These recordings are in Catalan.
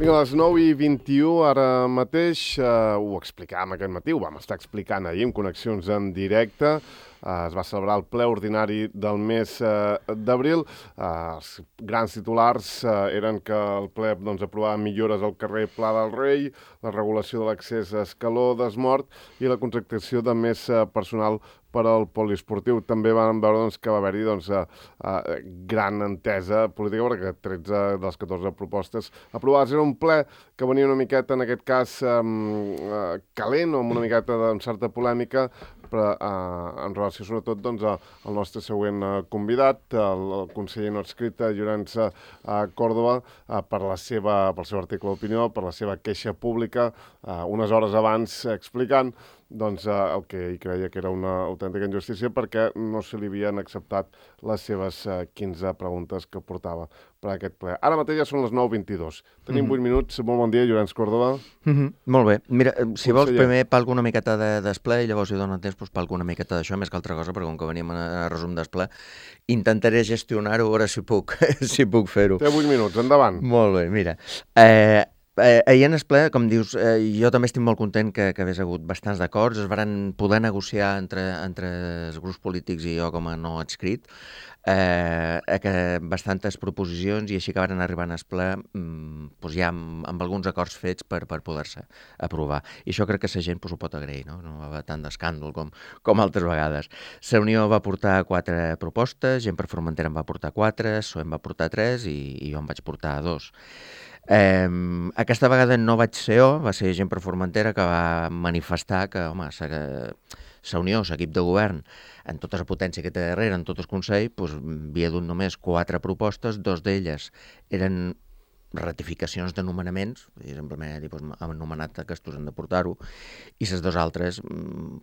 Vinga, a les 9:21, ara mateix, ho explicàvem aquest matí, ho vam estar explicant ahir amb connexions en directe. Es va celebrar el ple ordinari del mes d'abril. Els grans titulars eren que el ple aprovava millores al carrer Pla del Rei, la regulació de l'accés a Escaló d'Esmort i la contractació de més personal per al poliesportiu. També vam veure que va haver-hi gran entesa política, perquè 13 de les 14 propostes aprovades. Era un ple que venia una miqueta, en aquest cas, calent, o amb una miqueta de certa polèmica, però en relació sobretot al nostre següent convidat, el conseller no adscrit Llorenç Córdoba, pel seu article d'opinió, per la seva queixa pública, unes hores abans explicant el que ell creia que era una autèntica injustícia perquè no se li havien acceptat les seves 15 preguntes que portava per a aquest ple. Ara mateix ja són les 9:22. Tenim 8 minuts. Molt bon dia, Llorenç Córdoba. Molt bé. Mira, si vols, primer palco una miqueta de desple i llavors hi dono temps palco una miqueta d'això, més que altra cosa, perquè com que venim a resum desple, intentaré gestionar-ho, a veure si puc fer-ho. Té 8 minuts, endavant. Molt bé, mira. Ahir en el ple, com dius, jo també estic molt content que hagués hagut bastants d'acords, es van poder negociar entre els grups polítics i jo com a no adscrit, bastantes proposicions i així que van arribar en el ple ja amb alguns acords fets per poder-se aprovar. I això crec que la gent ho pot agrair, no va haver tant d'escàndol com altres vegades. La Unió va portar 4 propostes, Gent per Formentera en va portar 4, PSOE en va portar 3 i jo en vaig portar 2. Aquesta vegada no vaig ser jo, va ser Gent per Formentera que va manifestar que, home, la Unió, l'equip de govern, en tota la potència que té darrere, en tot el Consell, havia dut només 4 propostes, 2 d'elles eren ratificacions de nomenaments, simplement han nomenat aquests, han de portar-ho, i les 2 altres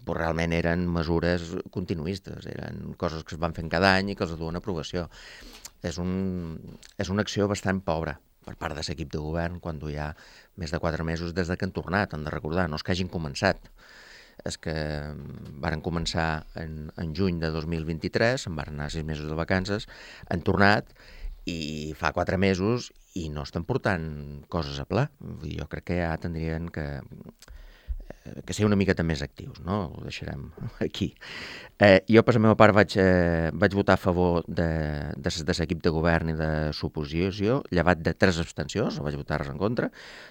realment eren mesures continuistes, eren coses que es van fent cada any i que els duen a aprovació. És una acció bastant pobra per part de l'equip de govern quan hi ha més de 4 mesos des que han tornat, han de recordar, no és que hagin començat. És que varen començar en juny de 2023, se'n van anar 6 mesos de vacances, han tornat i fa 4 mesos i no estan portant coses a pla. Jo crec que ja tindrien que ser una miqueta més actius, no? Ho deixarem aquí. Jo, per la meva part, vaig votar a favor de l'equip de govern i de l'oposició, llevat de 3 abstencions, no vaig votar res en contra.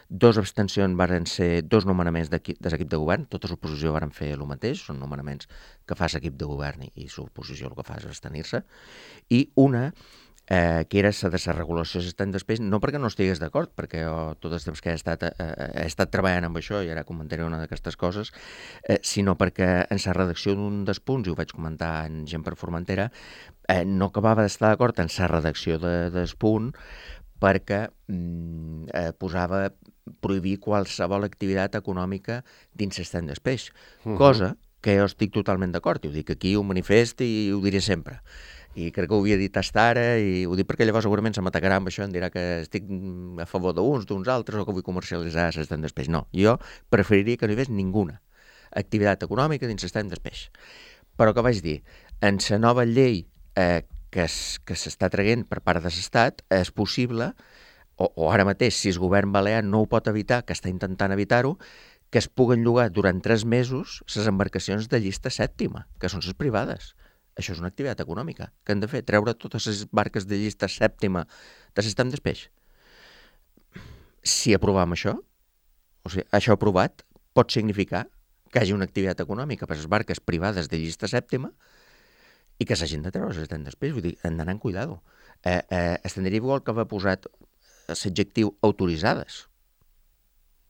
2 abstencions varen ser 2 nomenaments de l'equip de govern, tota l'oposició varen fer el mateix, són nomenaments que fa l'equip de govern i l'oposició el que fa és abstenir-se, i una que era la de la regulació assistent després, no perquè no estigués d'acord, perquè jo tot el temps que he estat treballant amb això i ara comentaré una d'aquestes coses, sinó perquè en la redacció d'un dels punts, i ho vaig comentar en Gent per Formentera, no acabava d'estar d'acord en la redacció del punt perquè posava prohibir qualsevol activitat econòmica dins l'estany d'espeix, cosa que jo estic totalment d'acord, i ho dic aquí, ho manifest i ho diré sempre. I crec que ho havia dit hasta ara, i ho dic perquè llavors segurament se m'atacarà amb això, em dirà que estic a favor d'uns altres o que vull comercialitzar l'estany d'espeix. No, jo preferiria que no hi hagués ninguna activitat econòmica dins l'estany d'espeix. Però que vaig dir, en la nova llei que s'està traient per part de l'Estat, és possible, o ara mateix, si el govern balear no ho pot evitar, que està intentant evitar-ho, que es puguen llogar durant 3 mesos les embarcacions de llista sèptima, que són les privades. Això és una activitat econòmica que han de fer, treure totes les barques de llista sèptima de l'estany d'espeix. Si aprovem això, o sigui, això aprovat, pot significar que hi hagi una activitat econòmica per les barques privades de llista sèptima i que s'hagin de treure l'estany d'espeix. Vull dir, han d'anar amb cuidado. Estendria igual que va posat l'adjectiu autoritzades,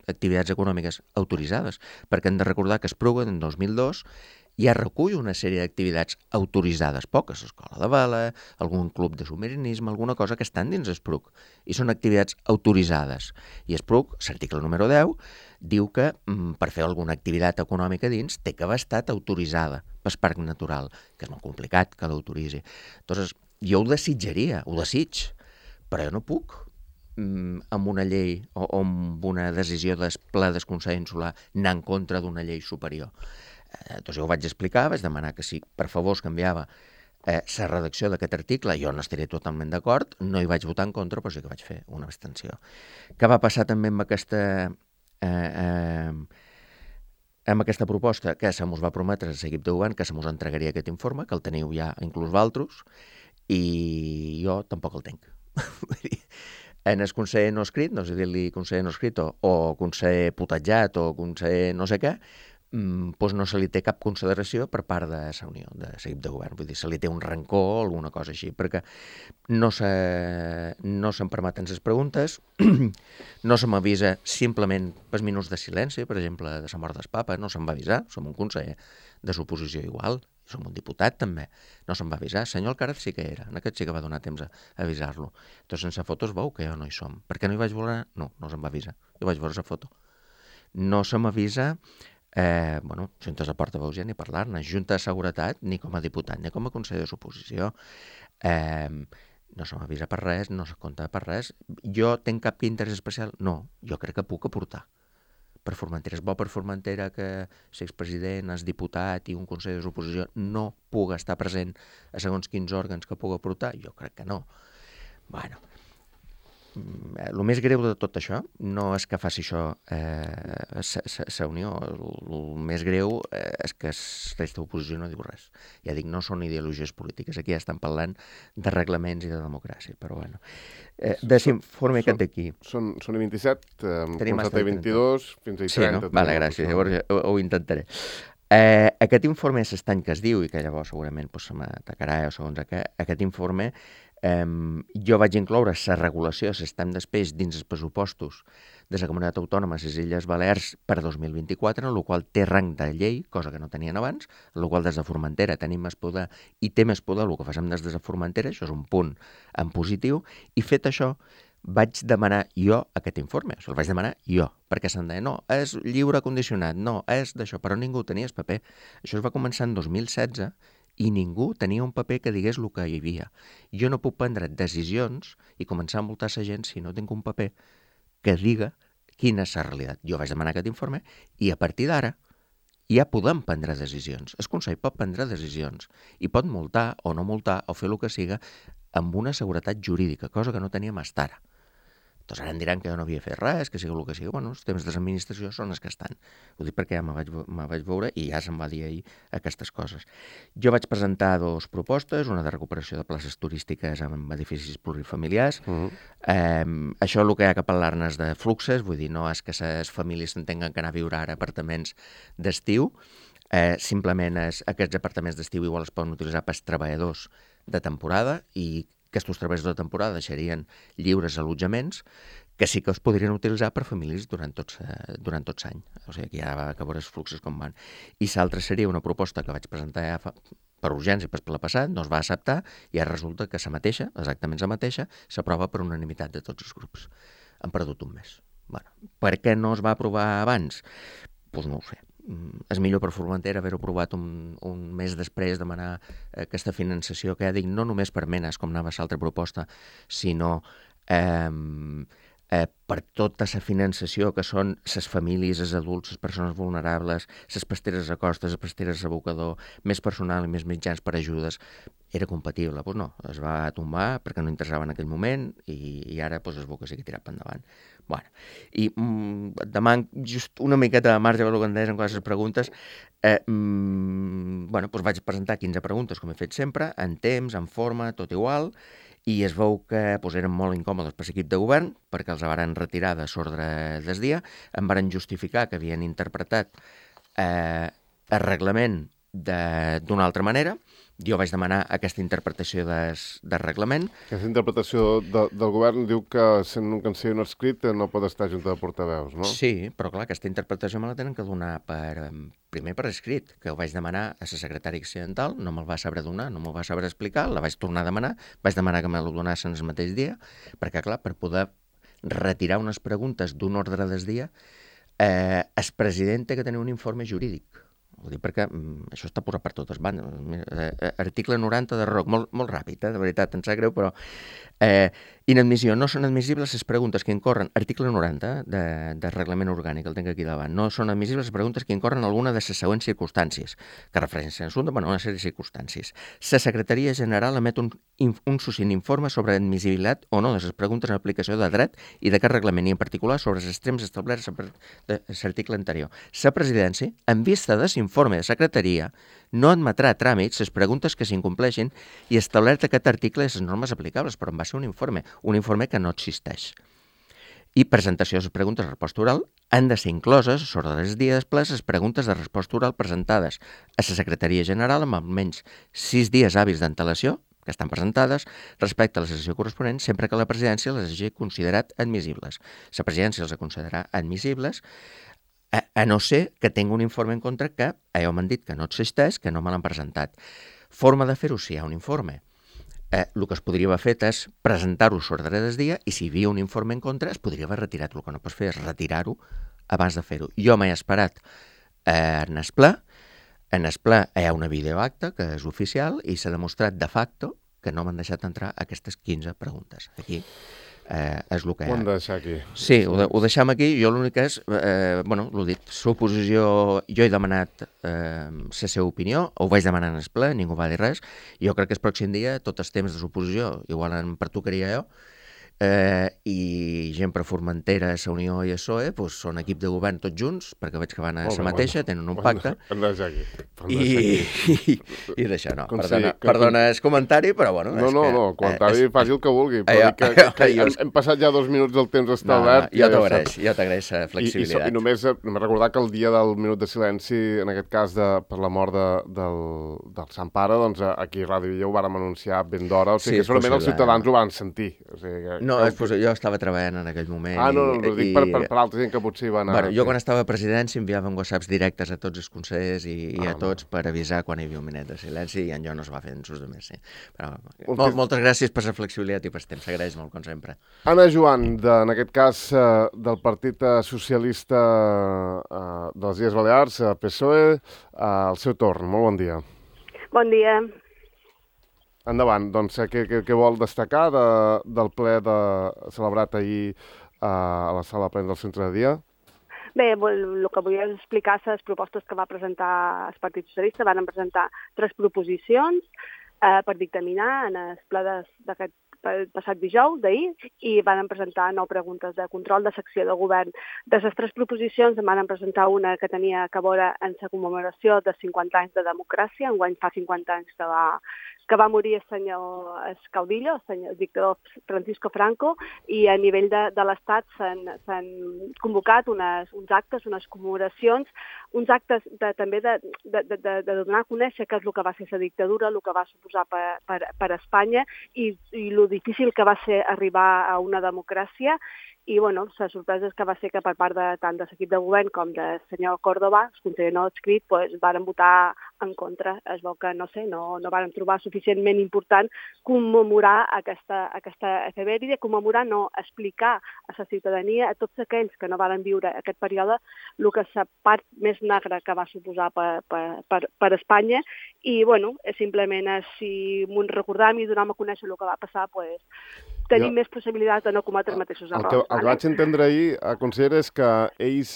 activitats econòmiques autoritzades, perquè hem de recordar que Espluga en 2002 ja recull una sèrie d'activitats autoritzades, poques, escola de vela, algun club de submarinisme, alguna cosa que estan dins Espluc, i són activitats autoritzades. I Espluc, l'article número 10, diu que per fer alguna activitat econòmica dins té que haver estat autoritzada pel Parc Natural, que és molt complicat que l'autoritzi. Llavors, jo ho desitjaria, ho desig, però jo no puc amb una llei o amb una decisió del ple del Consell Insular anar en contra d'una llei superior. Doncs jo ho vaig explicar, vaig demanar que si per favor es canviava la redacció d'aquest article, jo no estaré totalment d'acord, no hi vaig votar en contra, però sí que vaig fer una abstenció. Què va passar també amb aquesta proposta? Que se mos va prometre a l'equip de govern que se mos entregaria aquest informe, que el teniu ja inclús valtros, i jo tampoc el tinc. En el conseller no escrit, no sé dir-li conseller no escrit o conseller putatjat o conseller no sé què, doncs no se li té cap consideració per part de la Unió, de l'equip de govern. Vull dir, se li té un rancor o alguna cosa així, perquè no se'm permeten les preguntes, no se m'avisa simplement pels minuts de silenci, per exemple, de la mort del papa, no se'm va avisar, som un conseller de l'oposició igual, som un diputat també, no se'm va avisar. Senyor Alcaraz sí que era, en aquest sí que va donar temps a avisar-lo. Doncs sense fotos veu que jo no hi som. Per què no hi vaig veure? No se'm va avisar. Jo vaig veure la foto. No se m'avisa, juntes de portaveus ja ni parlar-ne, junta de seguretat ni com a diputat ni com a conseller de l'oposició. No se m'avisa per res, no se compta per res. Jo tinc cap interès especial? No, jo crec que puc aportar. Per Formentera és bo per Formentera que l'expresident, el diputat i un conseller de l'oposició no puga estar present a segons quins òrgans que puga aportar? Jo crec que no. Bueno, el més greu de tot això no és que faci això la Unió, el més greu és que la resta d'oposició no diu res. Ja dic, no són ideologies polítiques, aquí ja estan parlant de reglaments i de democràcia, però bueno. Desinforme aquest d'aquí. Són i 27, Tenim fins a 22, fins a 30. Sí, no? Vale, gràcies, llavors ho intentaré. Aquest informe s'estany que es diu, i que llavors segurament se m'atacarà o segons aquest informe, jo vaig incloure la regulació, s'estem després dins els pressupostos de la Comunitat Autònoma de les Illes Balears per 2024, en el qual té rang de llei, cosa que no tenien abans, en el qual des de Formentera tenim més poder i té més poder el que facem des de Formentera, això és un punt en positiu, i fet això vaig demanar jo aquest informe, el vaig demanar jo, perquè se'm deia, no, és lliure condicionat, no, és d'això, però ningú tenia el paper. Això es va començar en 2016 i ningú tenia un paper que digués el que hi havia. Jo no puc prendre decisions i començar a multar la gent si no tinc un paper que diga quina és la realitat. Jo vaig demanar aquest informe i a partir d'ara ja podem prendre decisions. El Consell pot prendre decisions i pot multar o no multar o fer el que siga amb una seguretat jurídica, cosa que no teníem fins ara. Doncs ara em diran que jo no havia fet res, que sigui el que sigui. Bueno, els temes de l'administració són els que estan. Ho dic perquè ja me vaig veure i ja se'm va dir ahir aquestes coses. Jo vaig presentar 2 propostes, una de recuperació de places turístiques en edificis plurifamiliars. Això el que hi ha que parlar-ne és de fluxes, vull dir, no és que les famílies s'entenguen que anar a viure ara a apartaments d'estiu, simplement aquests apartaments d'estiu igual es poden utilitzar pels treballadors de temporada i aquests treballadors de temporada deixarien lliures allotjaments que sí que es podrien utilitzar per famílies durant tot l'any. O sigui, que ja va acabar els fluxos com van. I l'altra seria una proposta que vaig presentar ja per urgència per la passada, no es va acceptar i ara resulta que la mateixa, exactament la mateixa, s'aprova per unanimitat de tots els grups. Han perdut un mes. Bueno, per què no es va aprovar abans? Doncs no ho sé. És millor per Formentera haver-ho aprovat un mes després, demanar aquesta finançació que ja dic, no només per menes, com anava l'altra proposta, sinó per tota la finançació que són les famílies, els adults, les persones vulnerables, les pasteres a costes, les pasteres a abocador, més personal i més mitjans per ajudes, era compatible. Doncs no, es va tombar perquè no interessava en aquell moment i ara es veu que sí que tirat per endavant. Bueno, i demano just una miqueta de marge per el que em deies en les preguntes. Doncs vaig presentar 15 preguntes, com he fet sempre, en temps, en forma, tot igual, i es veu que eren molt incòmodes per l'equip de govern perquè els varen retirar de l'ordre del dia, em varen justificar que havien interpretat el reglament d'una altra manera. Jo vaig demanar aquesta interpretació del reglament. Aquesta interpretació del govern diu que sent un canceller no escrit no pot estar a junta de portaveus, no? Sí, però clar, aquesta interpretació me la tenen que donar primer per escrit, que ho vaig demanar a la secretària accidental, no me'l va saber donar, no me'l va saber explicar, la vaig tornar a demanar, vaig demanar que me la donassin el mateix dia, perquè clar, per poder retirar unes preguntes d'un ordre del dia, el president té que tenir un informe jurídic. Ho dic perquè això està posat per totes bandes. Article 90 de ROC, molt ràpid, de veritat, em sap greu, però... Inadmissió. No són admissibles les preguntes que incorren, article 90 de reglament orgànic, el tinc aquí davant, no són admissibles les preguntes que incorren alguna de les següents circumstàncies, que refereixen a l'assumpte, bueno, una sèrie de circumstàncies. La Secretaria General emet un succint informe sobre admissibilitat o no de les preguntes en aplicació de dret i d'aquest reglament, i en particular sobre els extrems establerts de l'article anterior. La Presidència, en vista de l'informe de Secretaria, no admetrà a tràmits les preguntes que s'incompleixin i establert aquest article i les normes aplicables, però en va ser un informe que no existeix. I presentació de les preguntes de resposta oral han de ser incloses, sobre els dies després, les preguntes de resposta oral presentades a la Secretaria General amb almenys 6 dies hàbils d'antelació, que estan presentades, respecte a la sessió corresponent, sempre que la presidència les hagi considerat admissibles. La presidència els ha considerat admissibles, a no ser que tingui un informe en contra que, m'han dit que no existeix, que no me l'han presentat. Forma de fer-ho si hi ha un informe. El que es podria haver fet és presentar-ho sobre del dia i si hi havia un informe en contra es podria haver retirat. El que no pots fer és retirar-ho abans de fer-ho. Jo m'he esperat en el ple. En el ple hi ha una videoacta que és oficial i s'ha demostrat de facto que no m'han deixat entrar aquestes 15 preguntes. Aquí és el que hi ha. Ho hem de deixar aquí. Sí, ho deixem aquí. Jo l'únic que és, l'ho dit, l'oposició, jo he demanat la seva opinió, ho vaig demanar en el ple, ningú va dir res. Jo crec que el pròxim dia, tots els temes de l'oposició, igual em pertocaria jo, i gent per Formentera, la Unió i el PSOE, són equip de govern tots junts, perquè veig que van a la mateixa, tenen un pacte. Hem de deixar aquí. I d'això no. Perdona el comentari, però bueno... No, el comentari faci el que vulgui, però que hem passat ja 2 minuts del temps establert. Jo t'agraeix la flexibilitat. I només recordar que el dia del minut de silenci, en aquest cas per la mort del Sant Pare, doncs aquí a Ràdio Villa ho vàrem anunciar ben d'hora, o sigui que segurament els ciutadans ho van sentir. No, jo estava treballant en aquell moment. No, ho dic per altra gent que potser hi va anar. Jo quan estava a presidència enviàvem whatsapps directes a tots els consellers i a tots per avisar quan hi havia un minut de silenci i en jo no es va fer en sus de més. Però moltes gràcies per la flexibilitat i per el temps, s'agraeix molt, com sempre. Anna Joan, en aquest cas del Partit Socialista de les Illes Balears, PSOE, al seu torn. Molt bon dia. Bon dia. Endavant, doncs, què vol destacar del ple celebrat ahir a la sala plena del centre de dia? Bé, el que vull explicar són les propostes que va presentar el Partit Socialista. Van presentar 3 proposicions per dictaminar en el ple d'aquest passat dijous d'ahir i van presentar 9 preguntes de control de secció de govern. De les 3 proposicions van presentar una que tenia a veure en la commemoració de 50 anys de democràcia. Enguany fa 50 anys que va morir el senyor Caudillo, el dictador Francisco Franco, i a nivell de l'Estat s'han convocat uns actes, unes commemoracions, uns actes també de donar a conèixer què és el que va ser la dictadura, el que va suposar per Espanya i el difícil que va ser arribar a una democràcia. I, la sorpresa és que va ser que per part tant de l'equip de govern com del senyor Córdoba, el conseller no adscrit, varen votar en contra. Es veu que, no varen trobar suficientment important commemorar aquesta efemèride, explicar a la ciutadania, a tots aquells que no varen viure aquest període, el que és la part més negra que va suposar per Espanya. I, simplement, si m'ho recordam i donam a conèixer el que va passar, tenim més possibilitats de no cometre els mateixos errors. El que vaig entendre ahir, consellera, és que ells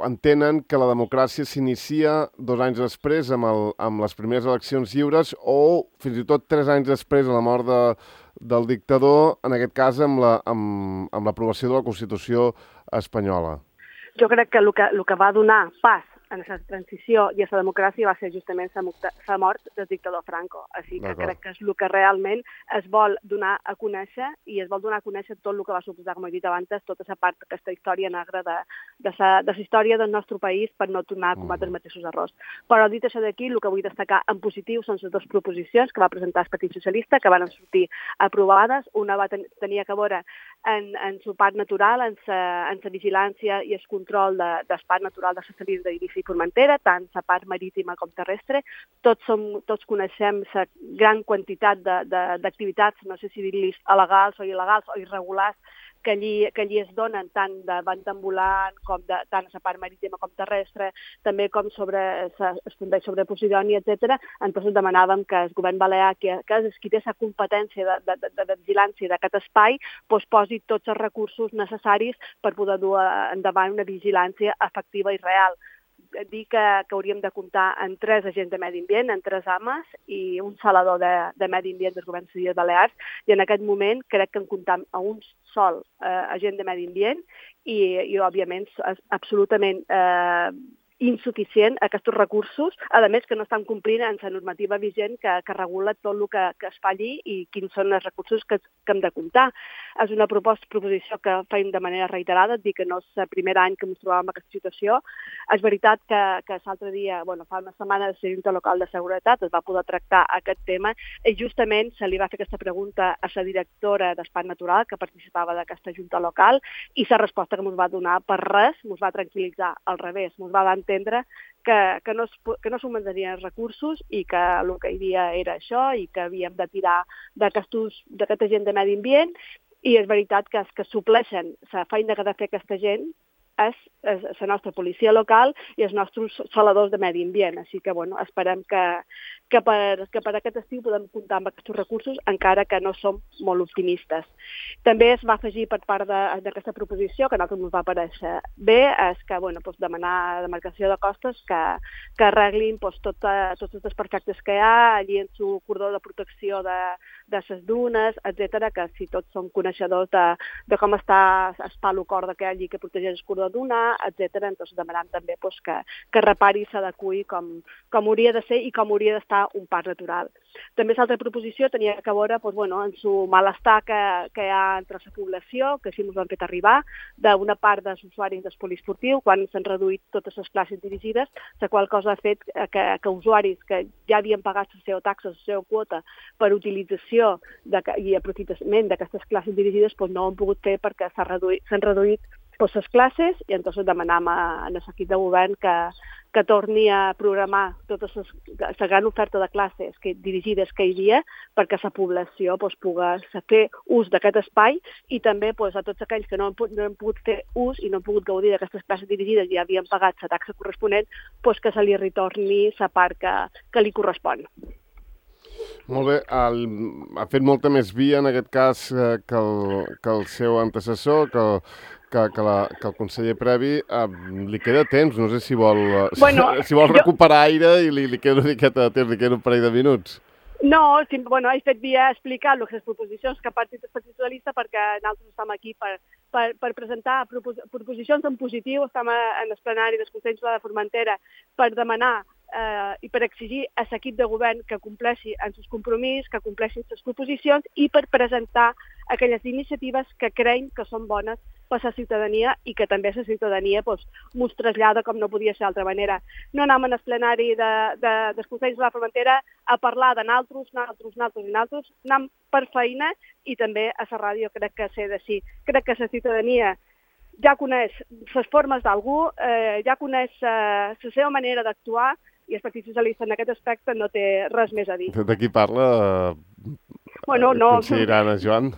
entenen que la democràcia s'inicia 2 anys després amb les primeres eleccions lliures o fins i tot 3 anys després de la mort del dictador, en aquest cas amb l'aprovació de la Constitució espanyola. Jo crec que el que va donar pas en la transició i a la democràcia va ser justament la mort del dictador Franco. Així que crec que és el que realment es vol donar a conèixer i es vol donar a conèixer tot el que va suposar, com he dit abans, tota la part d'aquesta història negra de la història del nostre país per no tornar a cometre els mateixos errors. Però dit això d'aquí, el que vull destacar en positiu són les 2 proposicions que va presentar el Partit Socialista, que van sortir aprovades. Una va tenir a veure en la part natural, en la vigilància i el control del parc natural de la Salina d'Eivissa i Formentera, tant la part marítima com terrestre. Tots coneixem la gran quantitat d'activitats, no sé si dir-los alegals o il·legals o irregulars, que allí es donen tant de banda ambulant com tant a la part marítima com terrestre, també com es fundeix sobre Posidònia, etc. Entonces demanàvem que el govern balear, que és qui té la competència de vigilància d'aquest espai, posi tots els recursos necessaris per poder dur endavant una vigilància efectiva i real. Dir que hauríem de comptar en 3 agents de medi ambient, en 3 AMAs i un salador de medi ambient del govern civil de Balears, i en aquest moment crec que en comptam a un sol agent de medi ambient i òbviament, és absolutament insuficient aquests recursos, a més que no estan complint en la normativa vigent que regula tot el que es fa allí i quins són els recursos que hem de comptar. És una proposició que fem de manera reiterada, et dic que no és el primer any que ens trobàvem en aquesta situació. És veritat que l'altre dia, fa una setmana, la Junta Local de Seguretat es va poder tractar aquest tema i justament se li va fer aquesta pregunta a la directora d'Espai Natural que participava d'aquesta Junta Local i la resposta que ens va donar per res, ens va tranquil·litzar, al revés, ens va entendre que no s'augmentarien els recursos i que el que hi havia era això i que havíem de tirar d'aquest agent de medi ambient i és veritat que els que supleixen la feina que ha de fer aquesta gent és la nostra policia local i els nostres saladors de medi ambient. Així que, esperem que per aquest estiu podem comptar amb aquests recursos, encara que no som molt optimistes. També es va afegir per part d'aquesta proposició, que a nosaltres ens va aparèixer bé, és que demanar a la demarcació de costes que arreglin tots els desperfectes que hi ha allí en el cordó de protecció de les dunes, etc., que si tots som coneixedors de com està el palo corda que hi ha allí que protegeix el cordó d'una, etc., entonces demanem també que repari i s'adeqüi com hauria de ser i com hauria d'estar un parc natural. També l'altra proposició tenia que veure en su malestar que hi ha entre la població, que així ens ho han fet arribar, d'una part dels usuaris del poliesportiu, quan s'han reduït totes les classes dirigides, la qual cosa ha fet que usuaris que ja havien pagat la seva taxa, la seva quota per utilització i aprofitament d'aquestes classes dirigides no ho han pogut fer perquè s'han reduït les classes i entonces demanam a l'equip de govern que torni a programar tota la gran oferta de classes dirigides que hi havia perquè la població pugui fer ús d'aquest espai i també a tots aquells que no han pogut fer ús i no han pogut gaudir d'aquestes classes dirigides i havien pagat la taxa corresponent, que se li retorni la part que li correspon. Molt bé, ha fet molta més via en aquest cas que el seu antecessor, que el conseller previ. Li queda temps, no sé si vol recuperar aire i li queda una miqueta de temps, li queda un parell de minuts. No, he fet via explicar les proposicions que ha partit el Partit Socialista perquè nosaltres estem aquí per presentar proposicions en positiu, estem en el plenari del Consell de Formentera per demanar i per exigir a l'equip de govern que compleixi en els compromisos, que compleixin les proposicions i per presentar aquelles iniciatives que creiem que són bones per a la ciutadania i que també la ciutadania ens trasllada com no podia ser d'altra manera. No anem en el plenari del Consell de la Formentera a parlar de naltros, anem per feina i també a la ràdio crec que sé de sí. Crec que la ciutadania ja coneix les formes d'algú, ja coneix la seva manera d'actuar i el Partit Socialista en aquest aspecte no té res més a dir. De qui parla? Consellera Anna Joan?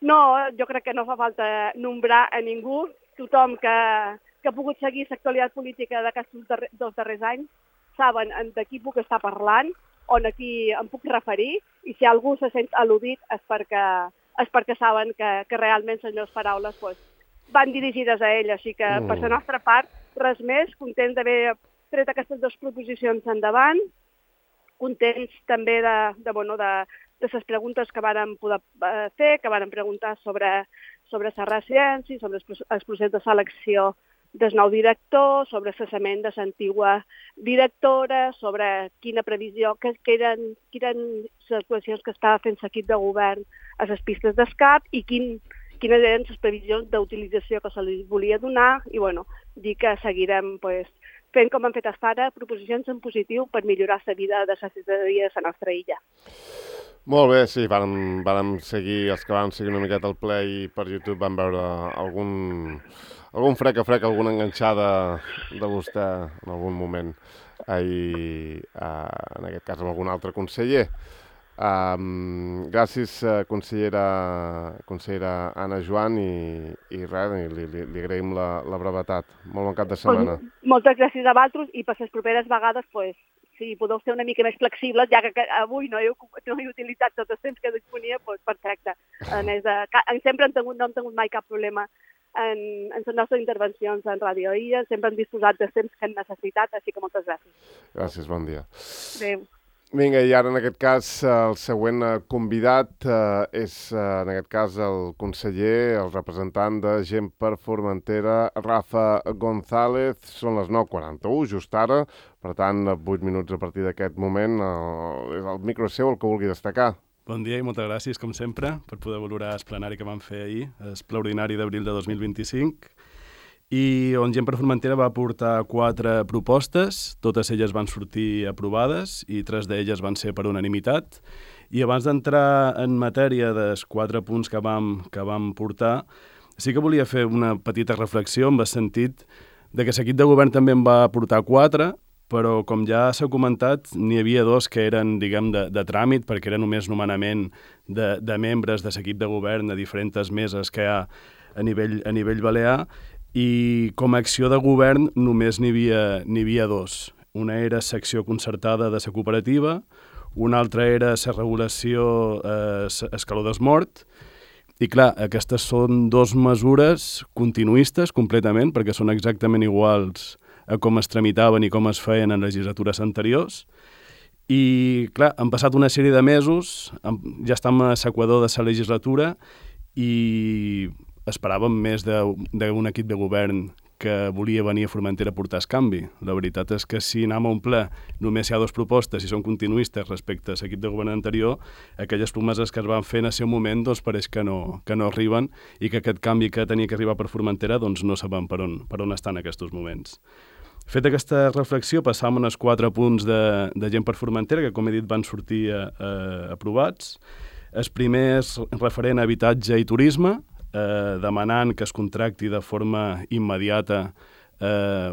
No, jo crec que no fa falta nombrar a ningú. Tothom que ha pogut seguir l'actualitat política d'aquests dos darrers anys saben de qui puc estar parlant, on aquí em puc referir, i si algú se sent al·ludit és perquè saben que realment les meves paraules van dirigides a ell. Així que per la nostra part, res més, contents d'haver tret aquestes dues proposicions endavant, contents també de les preguntes que vàrem poder fer, que vàrem preguntar sobre la residència, sobre el procés de selecció del nou director, sobre el cessament de l'antiga directora, sobre quina previsió, que eren les actuacions que estava fent l'equip de govern a les pistes d'escap i quines eren les previsions d'utilització que se li volia donar i dir que seguirem fent com hem fet fins ara, proposicions en positiu per millorar la vida de la ciutadania de la nostra illa. Molt bé, sí, vàrem seguir, els que vam seguir una miqueta el ple i per YouTube vam veure algun frec, alguna enganxada de vostè en algun moment, en aquest cas amb algun altre conseller. Gràcies, consellera Anna Joan, i res, li agraïm la brevetat. Molt bon cap de setmana. Moltes gràcies a vosaltres, i per les properes vegades, si podeu ser una mica més flexibles, ja que avui no he utilitzat tot el temps que disponia, perfecte. A més, sempre no hem tingut mai cap problema en les nostres intervencions en Ràdio Illa, sempre hem disposat del temps que hem necessitat, així que moltes gràcies. Gràcies, bon dia. Adéu. Vinga, i ara en aquest cas el següent convidat és en aquest cas el conseller, el representant de Gent per Formentera, Rafa González. Són les 9:41, just ara, per tant 8 minuts a partir d'aquest moment. El micro seu, el que vulgui destacar. Bon dia i moltes gràcies, com sempre, per poder valorar el plenari que vam fer ahir, el ple ordinari d'abril de 2025, i on Gent per Formentera va portar 4 propostes, totes elles van sortir aprovades i 3 d'elles van ser per unanimitat. I abans d'entrar en matèria dels 4 punts que vam portar, sí que volia fer una petita reflexió en el sentit de que l'equip de govern també en va portar 4, però com ja s'ha comentat, n'hi havia 2 que eren, diguem, de tràmit, perquè era només nomenament de membres de l'equip de govern a diferents meses que hi ha a nivell balear, i com a acció de govern només n'hi havia 2. Una era secció concertada de la cooperativa, una altra era la regulació escaló d'esmort, i clar, aquestes són 2 mesures continuistes completament, perquè són exactament iguals a com es tramitaven i com es feien en legislatures anteriors. I clar, han passat una sèrie de mesos, ja estem a l'equador de la legislatura i esperàvem més d'un equip de govern que volia venir a Formentera a portar el canvi. La veritat és que si anem a un ple només hi ha 2 propostes i són continuistes respecte a l'equip de govern anterior, aquelles promeses que es van fer en el seu moment doncs pareix que no arriben i que aquest canvi que tenia que arribar per Formentera doncs no sabem per on està en aquests moments. Feta aquesta reflexió, passàvem als 4 punts de Gent per Formentera, que com he dit van sortir aprovats. El primer és referent a habitatge i turisme, demanant que es contracti de forma immediata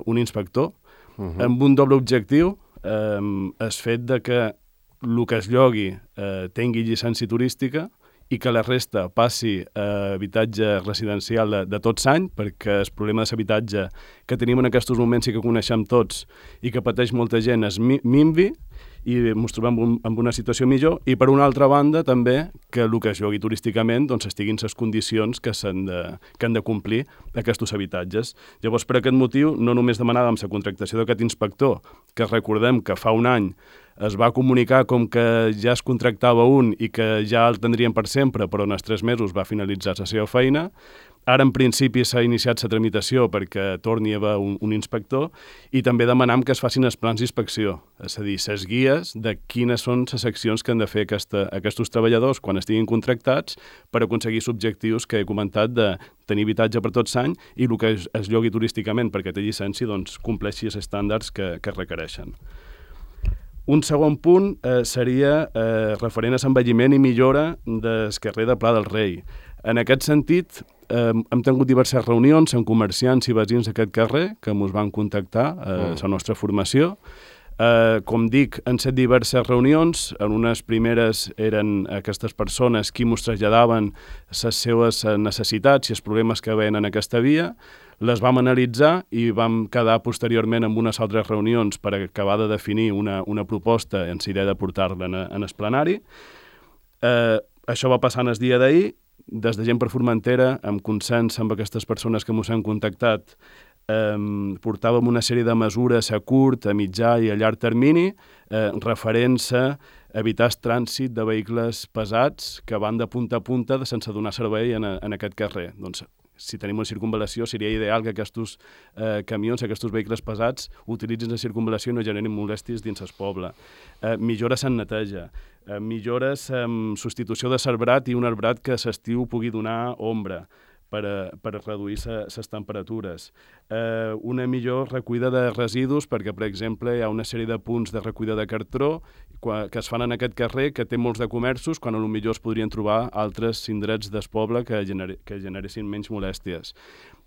un inspector, amb un doble objectiu, el fet de que el que es llogui tingui llicència turística i que la resta passi a habitatge residencial de tot l'any, perquè el problema de l'habitatge que tenim en aquests moments i que coneixem tots i que pateix molta gent és minvi, i ens trobem en una situació millor, i per una altra banda també que el que es llogui turísticament doncs estiguin les condicions que han de complir aquests habitatges. Llavors, per aquest motiu, no només demanàvem la contractació d'aquest inspector, que recordem que fa un any es va comunicar com que ja es contractava un i que ja el tindrien per sempre, però en els 3 mesos va finalitzar la seva feina. Ara, en principi, s'ha iniciat la tramitació perquè torni a haver un inspector, i també demanam que es facin els plans d'inspecció, és a dir, les guies de quines són les accions que han de fer aquests treballadors quan estiguin contractats per aconseguir els objectius que he comentat de tenir habitatge per tot l'any i el que es llogui turísticament perquè té llicència doncs compleixi els estàndards que requereixen. Un segon punt seria referent a l'envelliment i millora del carrer de Pla del Rei. En aquest sentit, hem tingut diverses reunions amb comerciants i veïns d'aquest carrer que ens van contactar a la nostra formació. Com dic, han set diverses reunions. En unes primeres eren aquestes persones qui ens traslladaven les seves necessitats i els problemes que veien en aquesta via. Les vam analitzar i vam quedar posteriorment amb unes altres reunions per acabar de definir una proposta en la idea de portar-la en el plenari. Això va passar en el dia d'ahir. Des de Gent per Formentera, amb consens amb aquestes persones que ens han contactat, portàvem una sèrie de mesures a curt, a mitjà i a llarg termini referents a evitar el trànsit de vehicles pesats que van de punta a punta sense donar servei en aquest carrer. Doncs, si tenim una circunvalació, seria ideal que aquests camions, aquests vehicles pesats, utilitzin la circunvalació i no generin molèsties dins el poble. Millores en neteja, millores en substitució de l'arbrat i un arbrat que a l'estiu pugui donar ombra per reduir les temperatures. Una millor recollida de residus, perquè, per exemple, hi ha una sèrie de punts de recollida de cartró que es fan en aquest carrer, que té molts de comerços, quan potser es podrien trobar altres indrets del poble que generessin menys molèsties.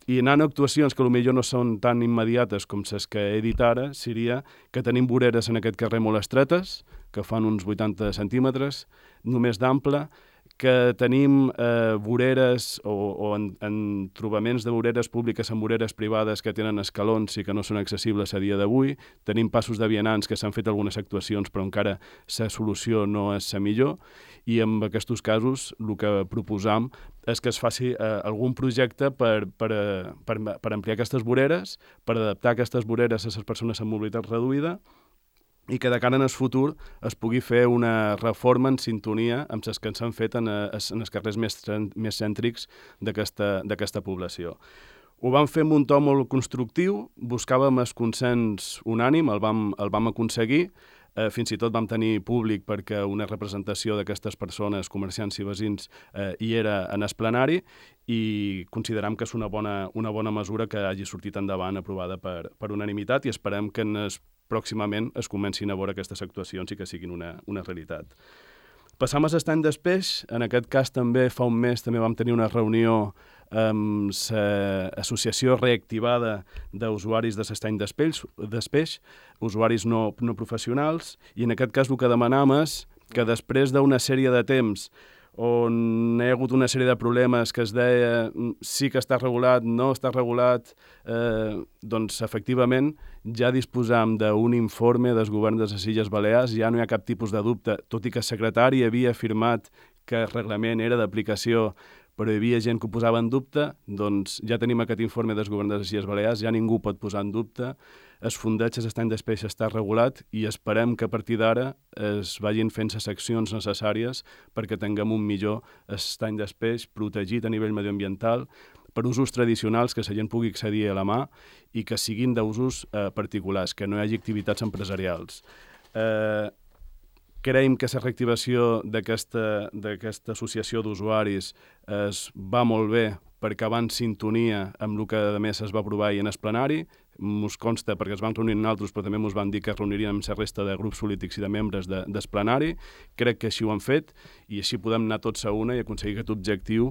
I anant a actuacions que potser no són tan immediates com les que he dit ara, seria que tenim voreres en aquest carrer molt estretes, que fan uns 80 centímetres, només d'ample, que tenim voreres o entrobaments de voreres públiques amb voreres privades que tenen escalons i que no són accessibles a dia d'avui. Tenim passos de vianants que s'han fet algunes actuacions però encara la solució no és la millor i en aquests casos el que proposam és que es faci algun projecte per ampliar aquestes voreres, per adaptar aquestes voreres a les persones amb mobilitat reduïda i que de cara en el futur es pugui fer una reforma en sintonia amb les que s'han fet en els carrers més cèntrics d'aquesta població. Ho vam fer amb un to molt constructiu, buscàvem el consens unànim, el vam aconseguir, fins i tot vam tenir públic perquè una representació d'aquestes persones, comerciants i veïns, hi era en el plenari i consideram que és una bona mesura que hagi sortit endavant aprovada per unanimitat i esperem que pròximament es comencin a veure aquestes actuacions i que siguin una realitat. Passam a l'estany d'Espeix. En aquest cas també fa un mes també vam tenir una reunió amb l'associació reactivada d'usuaris de l'estany d'Espeix, usuaris no professionals, i en aquest cas el que demanam és que després d'una sèrie de temps on hi ha hagut una sèrie de problemes que es deia sí que està regulat, no està regulat, doncs efectivament ja disposam d'un informe del govern de les Illes Balears, ja no hi ha cap tipus de dubte, tot i que el secretari havia afirmat que el reglament era d'aplicació, però hi havia gent que ho posava en dubte, doncs ja tenim aquest informe del govern de les Illes Balears, ja ningú pot posar en dubte, el fondeig de l'estany d'Espeix està regulat i esperem que a partir d'ara es vagin fent les accions necessàries perquè tinguem un millor estany d'Espeix protegit a nivell medioambiental per usos tradicionals que la gent pugui accedir a la mà i que siguin d'usos particulars, que no hi hagi activitats empresarials. Creiem que la reactivació d'aquesta associació d'usuaris es va molt bé perquè va en sintonia amb el que a més es va aprovar ahir en el plenari. Mos consta perquè es van reunir nosaltres, però també mos van dir que es reuniríem amb la resta de grups polítics i de membres del plenari. Crec que així ho han fet i així podem anar tots a una i aconseguir aquest objectiu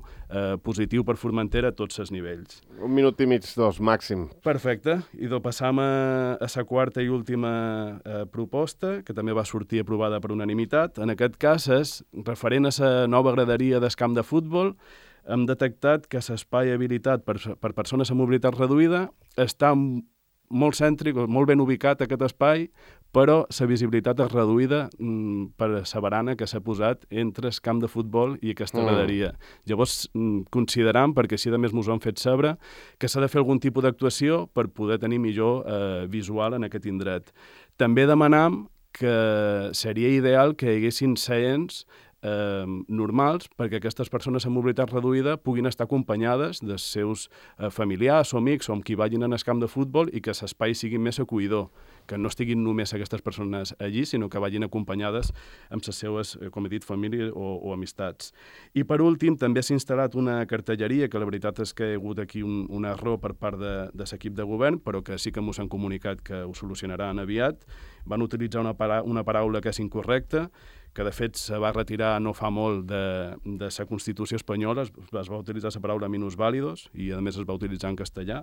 positiu per Formentera a tots els nivells. 1 minut i mig, 2, màxim. Perfecte. I passam a la quarta i última proposta, que també va sortir aprovada per unanimitat. En aquest cas és referent a la nova graderia del camp de futbol. Hem detectat que l'espai habilitat per persones amb mobilitat reduïda està molt cèntric, molt ben ubicat aquest espai, però la visibilitat és reduïda per la barana que s'ha posat entre el camp de futbol i aquesta graderia. Llavors, consideram, perquè així a més mos ho han fet saber, que s'ha de fer algun tipus d'actuació per poder tenir millor visual en aquest indret. També demanam que seria ideal que hi haguessin seients normals perquè aquestes persones amb mobilitat reduïda puguin estar acompanyades dels seus familiars o amics o amb qui vagin en el camp de futbol i que l'espai sigui més acollidor, que no estiguin només aquestes persones allí, sinó que vagin acompanyades amb les seves, com he dit, famílies o amistats. I per últim, també s'ha instal·lat una cartelleria, que la veritat és que hi ha hagut aquí un error per part de l'equip de govern, però que sí que mos han comunicat que ho solucionaran aviat. Van utilitzar una paraula que és incorrecta, que de fet se va retirar no fa molt de la Constitució espanyola, es va utilitzar la paraula minusvàlidos i a més es va utilitzar en castellà,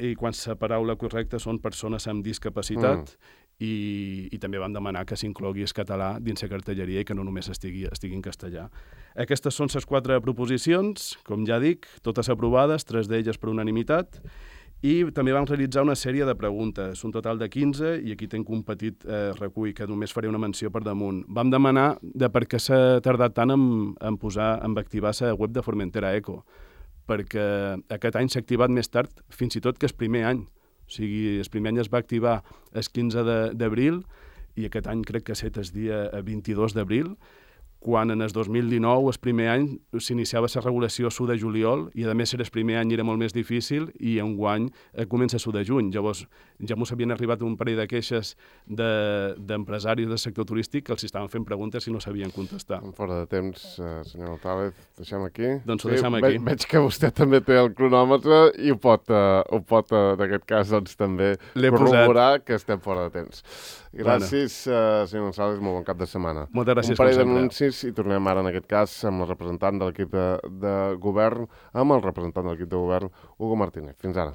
i quan la paraula correcta són persones amb discapacitat i també vam demanar que s'inclogui el català dins la cartelleria i que no només estigui en castellà. Aquestes són les 4 proposicions, com ja dic, totes aprovades, 3 d'elles per unanimitat, i també vam realitzar una sèrie de preguntes, un total de 15, i aquí tinc un petit recull que només faré una menció per damunt. Vam demanar de per què s'ha tardat tant en activar la web de Formentera Eco, perquè aquest any s'ha activat més tard, fins i tot que el primer any. O sigui, el primer any es va activar el 15 d'abril i aquest any crec que ha estat el dia 22 d'abril, quan en el 2019, el primer any, s'iniciava la regulació a l'1 de juliol i, a més, el primer any era molt més difícil i enguany comença a l'1 de juny. Llavors, ja mos havien arribat un parell de queixes d'empresaris del sector turístic que els estaven fent preguntes i no sabien contestar. Fora de temps, senyor González, deixem aquí. Doncs ho deixem aquí. Veig que vostè també té el cronòmetre i ho pot en aquest cas, doncs, també corroborar que estem fora de temps. Gràcies, senyor González, molt bon cap de setmana. Moltes gràcies, com sempre. Un parell d'anuncis i tornem ara, en aquest cas, amb el representant de l'equip de govern, Hugo Martínez. Fins ara.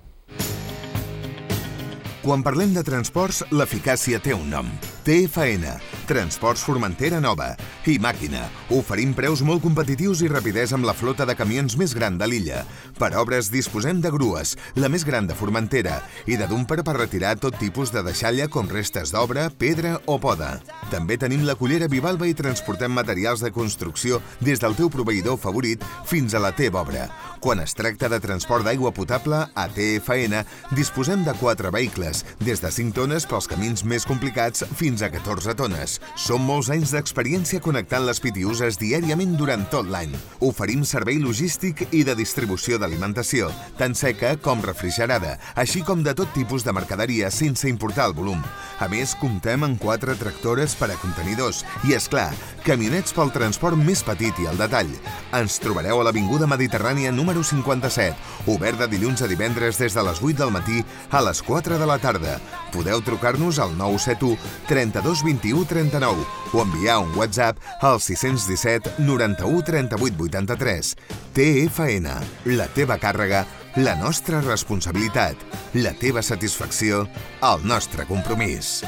Quan parlem de transports, l'eficàcia té un nom. TFN, Transports Formentera Nova i Màquina. Oferim preus molt competitius i rapidesa amb la flota de camions més gran de l'illa. Per obres disposem de grues, la més gran de Formentera, i de dumper per retirar tot tipus de deixalla com restes d'obra, pedra o poda. També tenim la cullera Vivalba i transportem materials de construcció des del teu proveïdor favorit fins a la teva obra. Quan es tracta de transport d'aigua potable, a TFN disposem de 4 vehicles, des de 5 tones pels camins més complicats fins a 14 tones. Som molts anys d'experiència connectant les pitiuses diàriament durant tot l'any. Oferim servei logístic i de distribució d'alimentació, tant seca com refrigerada, així com de tot tipus de mercaderia sense importar el volum. A més, comptem amb 4 tractores per a contenidors i, és clar, camionets pel transport més petit i al detall. Ens trobareu a l'Avinguda Mediterrània número 57, obert de dilluns a divendres des de les 8 del matí a les 4 de la tarda. Podeu trucar-nos al 971 32 21 39 o enviar un WhatsApp al 617 91 38 83. TFN, la teva càrrega, la nostra responsabilitat, la teva satisfacció, el nostre compromís.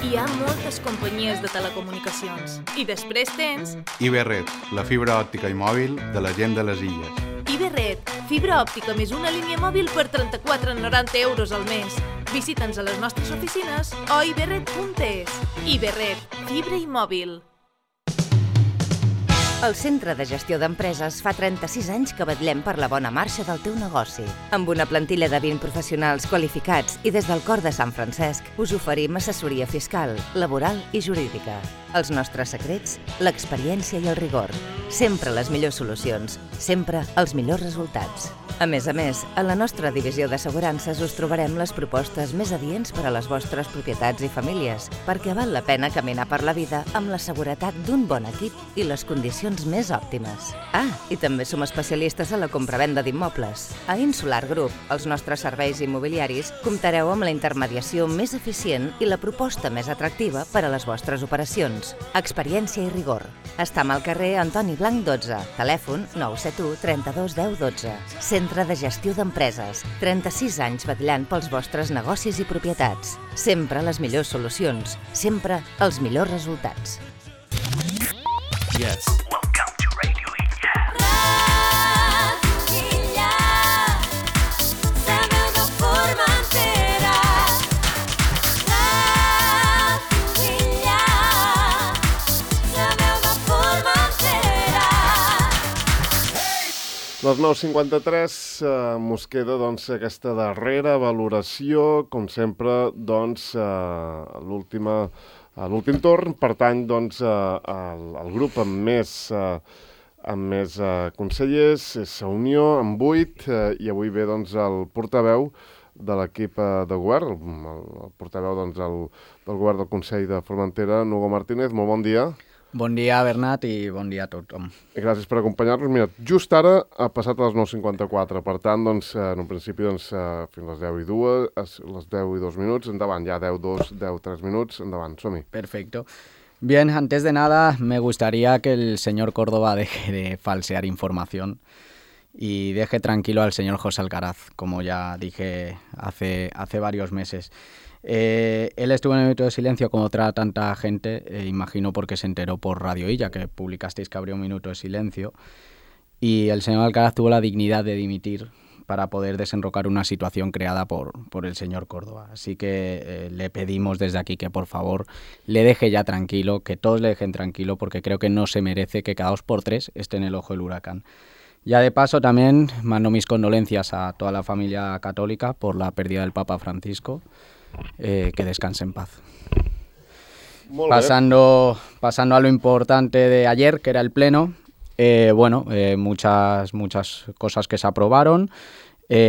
Hi ha moltes companyies de telecomunicacions i després tens Iberred, la fibra òptica i mòbil de la gent de les illes. Iberred, fibra òptica més una línia mòbil per 34,90 euros al mes. Visita'ns a les nostres oficines o iberred.es. Iberred, fibra i mòbil. El Centre de Gestió d'Empreses fa 36 anys que vetllem per la bona marxa del teu negoci. Amb una plantilla de 20 professionals qualificats i des del cor de Sant Francesc us oferim assessoria fiscal, laboral i jurídica. Els nostres secrets, l'experiència i el rigor. Sempre les millors solucions, sempre els millors resultats. A més, a la nostra divisió d'assegurances us trobarem les propostes més adients per a les vostres propietats i famílies, perquè val la pena caminar per la vida amb la seguretat d'un bon equip i les condicions més òptimes. I també som especialistes a la compravenda d'immobles. A Insular Group, els nostres serveis immobiliaris, comptareu amb la intermediació més eficient i la proposta més atractiva per a les vostres operacions. Experiència i rigor. Estam al carrer Antoni Blanc 12, telèfon 971 32 10 12. Centre de Gestió d'Empreses, 36 anys vetllant pels vostres negocis i propietats. Sempre les millors solucions, sempre els millors resultats. Yes. Les 9:53 mos queda aquesta darrera valoració, com sempre, a l'últim torn, pertany al grup amb més consellers, és Unió, amb 8, i avui ve el portaveu de l'equip de govern, el portaveu del govern del Consell de Formentera, Hugo Martínez. Molt bon dia. Bon dia, Bernat, i bon dia a tothom. Gràcies per acompanyar-nos. Mira, just ara ha passat a les 9:54, per tant, en un principi, fins a les 10:02, les 10:02 minuts, endavant, ja 10:02, 10:03 minuts, endavant, som-hi. Perfecto. Bien, antes de nada, me gustaría que el señor Córdoba deje de falsear información y deje tranquilo al señor José Alcaraz, como ya dije hace varios meses. Él estuvo en el minuto de silencio como otra tanta gente, imagino porque se enteró por Radio Illa que publicasteis que habría un minuto de silencio, y el señor Alcaraz tuvo la dignidad de dimitir para poder desenrocar una situación creada por el señor Córdoba. Así que le pedimos desde aquí que por favor le deje ya tranquilo, que todos le dejen tranquilo, porque creo que no se merece que cada 2 por 3 esté en el ojo del huracán. Ya de paso también mando mis condolencias a toda la familia católica por la pérdida del Papa Francisco. Que descanse en paz. Pasando a lo importante de ayer, que era el pleno, muchas cosas que se aprobaron.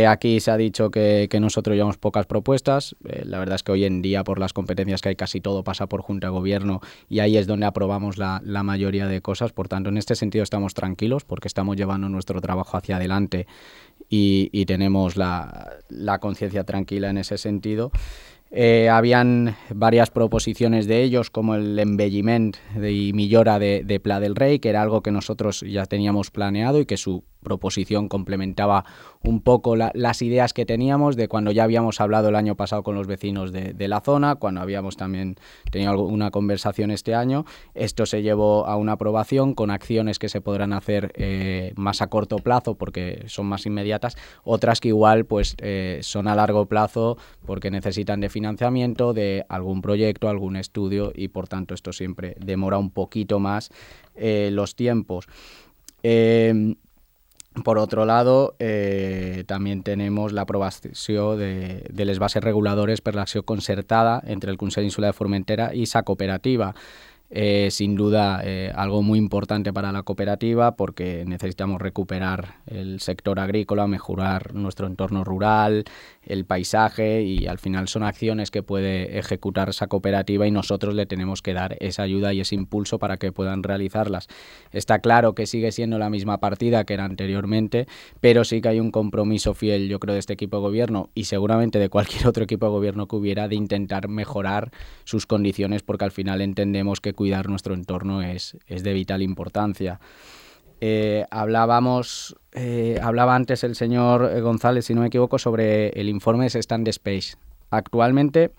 Aquí se ha dicho que nosotros llevamos pocas propuestas. La verdad es que hoy en día, por las competencias que hay, casi todo pasa por Junta de Gobierno y ahí es donde aprobamos la mayoría de cosas. Por tanto, en este sentido estamos tranquilos porque estamos llevando nuestro trabajo hacia adelante y tenemos la conciencia tranquila en ese sentido. Habían varias proposiciones de ellos, como el embelliment y millora de Pla del Rey, que era algo que nosotros ya teníamos planeado y que su proposición complementaba un poco las ideas que teníamos de cuando ya habíamos hablado el año pasado con los vecinos de la zona, cuando habíamos también tenido una conversación este año. Esto se llevó a una aprobación con acciones que se podrán hacer más a corto plazo porque son más inmediatas, otras que igual pues son a largo plazo porque necesitan de financiamiento, de algún proyecto, algún estudio, y por tanto esto siempre demora un poquito más los tiempos. Por otro lado, també tenemos la aprovació de les bases reguladores per l'acció concertada entre el Consell Insular de Formentera y esa cooperativa. Sin duda, algo muy importante para la cooperativa porque necesitamos recuperar el sector agrícola, mejorar nuestro entorno rural, el paisaje, y al final son acciones que puede ejecutar esa cooperativa y nosotros le tenemos que dar esa ayuda y ese impulso para que puedan realizarlas. Está claro que sigue siendo la misma partida que era anteriormente, pero sí que hay un compromiso fiel, yo creo, de este equipo de gobierno y seguramente de cualquier otro equipo de gobierno que hubiera, de intentar mejorar sus condiciones, porque al final entendemos que cuidar nuestro entorno es de vital importancia. Hablaba antes el señor González, si no me equivoco, sobre el informe de Stand Space. Actualmente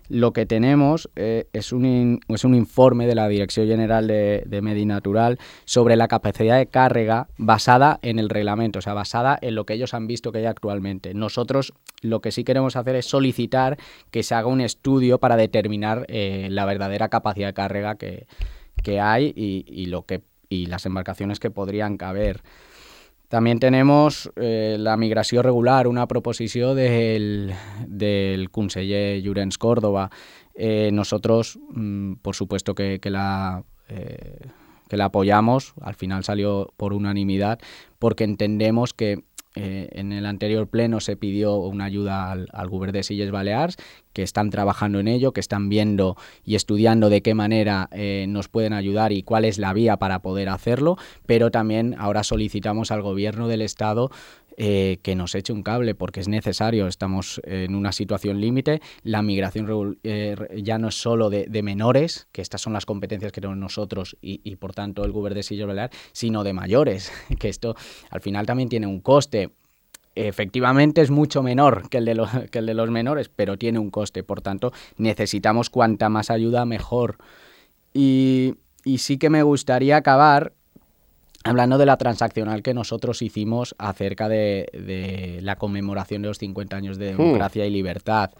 lo que tenemos es un informe de la Dirección General de Medi Natural sobre la capacidad de carga basada en el reglamento, o sea, basada en lo que ellos han visto que hay actualmente. Nosotros lo que sí queremos hacer es solicitar que se haga un estudio para determinar la verdadera capacidad de carga que hay y las embarcaciones que podrían caber. También tenemos la migració regular, una proposición del conseller Llorenç Córdoba. Nosotros, por supuesto que la apoyamos, al final salió por unanimidad, porque entendemos que en el anterior pleno se pidió una ayuda al Govern de Illes Balears, que están trabajando en ello, que están viendo y estudiando de qué manera nos pueden ayudar y cuál es la vía para poder hacerlo, pero también ahora solicitamos al Gobierno del Estado que nos eche un cable, porque es necesario. Estamos en una situación límite. La migración ya no es solo de menores, que estas son las competencias que tenemos nosotros y por tanto el Govern de Illes Balears, sino de mayores, que esto al final también tiene un coste. Efectivamente es mucho menor que el de los menores, pero tiene un coste. Por tanto, necesitamos cuanta más ayuda, mejor. Y sí que me gustaría acabar hablando de la transaccional que nosotros hicimos acerca de la conmemoración de los 50 años de democracia y libertad.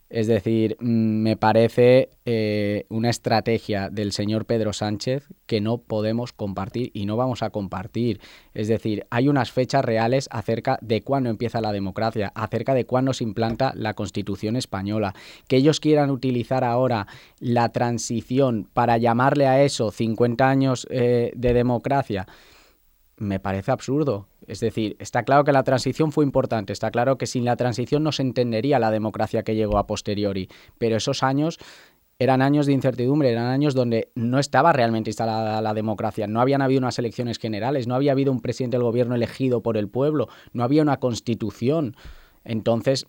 Es decir, me parece una estrategia del señor Pedro Sánchez que no podemos compartir y no vamos a compartir. Es decir, hay unas fechas reales acerca de cuándo empieza la democracia, acerca de cuándo se implanta la Constitución española. Que ellos quieran utilizar ahora la transición para llamarle a eso 50 años de democracia, me parece absurdo. Es decir, está claro que la transición fue importante, está claro que sin la transición no se entendería la democracia que llegó a posteriori, pero esos años eran años de incertidumbre, eran años donde no estaba realmente instalada la democracia, no habían habido unas elecciones generales, no había habido un presidente del gobierno elegido por el pueblo, no había una constitución. Entonces,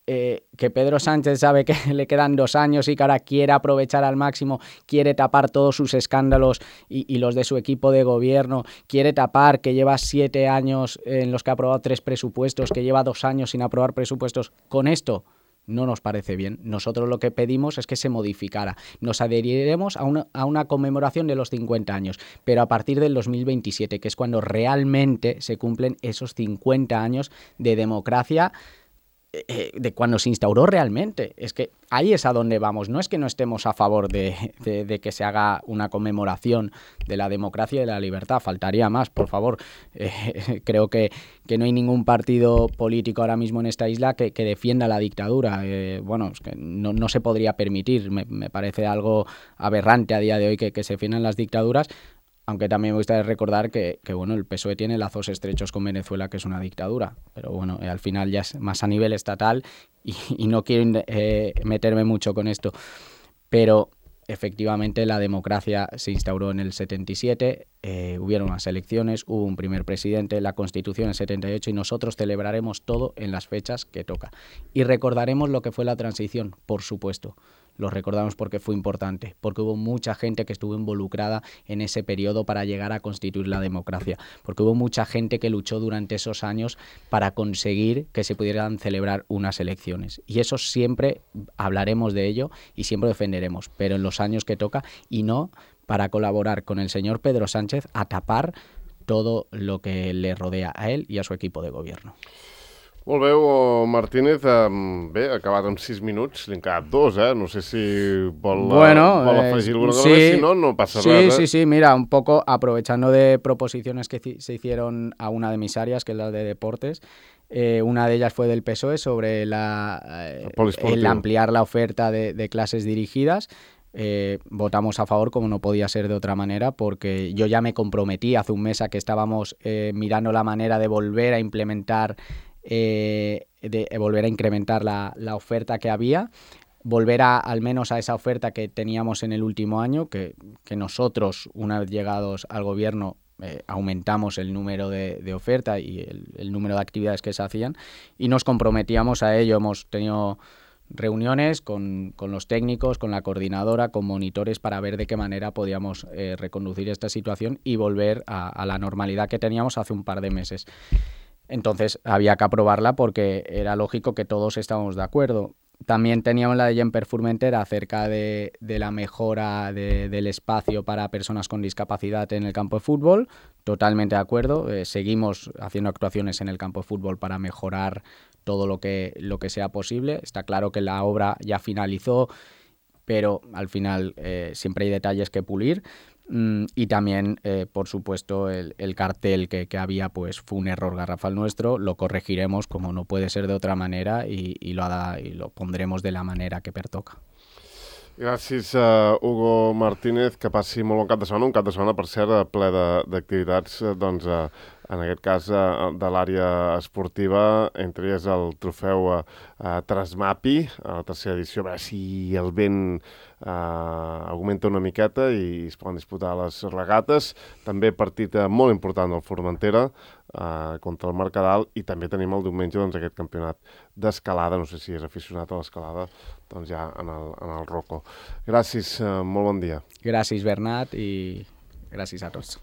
que Pedro Sánchez sabe que le quedan 2 años y que ahora quiere aprovechar al máximo, quiere tapar todos sus escándalos y los de su equipo de gobierno, quiere tapar que lleva 7 años en los que ha aprobado 3 presupuestos, que lleva 2 años sin aprobar presupuestos. Con esto no nos parece bien. Nosotros lo que pedimos es que se modificara. Nos adheriremos a una conmemoración de los 50 años, pero a partir del 2027, que es cuando realmente se cumplen esos 50 años de democracia, de cuando se instauró realmente. Es que ahí es a donde vamos. No es que no estemos a favor de que se haga una conmemoración de la democracia y de la libertad. Faltaría más, por favor. Creo que no hay ningún partido político ahora mismo en esta isla que defienda la dictadura. Bueno, es que no se podría permitir. Me parece algo aberrante a día de hoy que se defiendan las dictaduras. Aunque también me gustaría recordar que bueno, el PSOE tiene lazos estrechos con Venezuela, que es una dictadura. Pero bueno, al final ya es más a nivel estatal y no quiero meterme mucho con esto. Pero efectivamente la democracia se instauró en el 77, hubieron unas elecciones, hubo un primer presidente, la Constitución en el 78 y nosotros celebraremos todo en las fechas que toca. Y recordaremos lo que fue la transición, por supuesto. lo recordamos porque fue importante, porque hubo mucha gente que estuvo involucrada en ese periodo para llegar a constituir la democracia, porque hubo mucha gente que luchó durante esos años para conseguir que se pudieran celebrar unas elecciones. Y eso siempre hablaremos de ello y siempre defenderemos, pero en los años que toca, y no para colaborar con el señor Pedro Sánchez a tapar todo lo que le rodea a él y a su equipo de gobierno. Molt bé, Martínez. Bé, acabat en 6 minuts, li han quedat 2, No sé si vol afegir alguna cosa més, si no, no passa res. Sí, mira, un poco aprovechando de proposiciones que se hicieron a una de mis áreas, que es la de deportes. Una de ellas fue del PSOE sobre el ampliar la oferta de clases dirigidas. Votamos a favor, como no podía ser de otra manera, porque yo ya me comprometí hace un mes a que estábamos mirando la manera de volver a implementar volver a incrementar la oferta que había, volver al menos a esa oferta que teníamos en el último año, que nosotros, una vez llegados al gobierno, aumentamos el número de oferta y el número de actividades que se hacían, y nos comprometíamos a ello. Hemos tenido reuniones con los técnicos, con la coordinadora, con monitores, para ver de qué manera podíamos reconducir esta situación y volver a la normalidad que teníamos hace un par de meses. Entonces había que aprobarla porque era lógico que todos estábamos de acuerdo. También teníamos la de Gemper Formentera acerca de la mejora del espacio para personas con discapacidad en el campo de fútbol. Totalmente de acuerdo. Seguimos haciendo actuaciones en el campo de fútbol para mejorar todo lo que sea posible. Está claro que la obra ya finalizó, pero al final siempre hay detalles que pulir. Y también, por supuesto, el cartel que había, pues fue un error garrafal nuestro. Lo corregiremos, como no puede ser de otra manera, y lo pondremos de la manera que pertoca. Gràcies, Hugo Martínez, que passi molt bon cap de setmana, un cap de setmana, per cert, ple d'activitats, en aquest cas de l'àrea esportiva, entre elles el trofeu Trasmapi, a la tercera edició, a veure si el vent augmenta una miqueta i es poden disputar les regates. També partit molt important del Formentera contra el Mercadal, i també tenim el diumenge aquest campionat d'escalada. No sé si és aficionat a l'escalada, doncs ja en el Rocco. Gràcies, molt bon dia. Gràcies, Bernat, i gràcies a tots.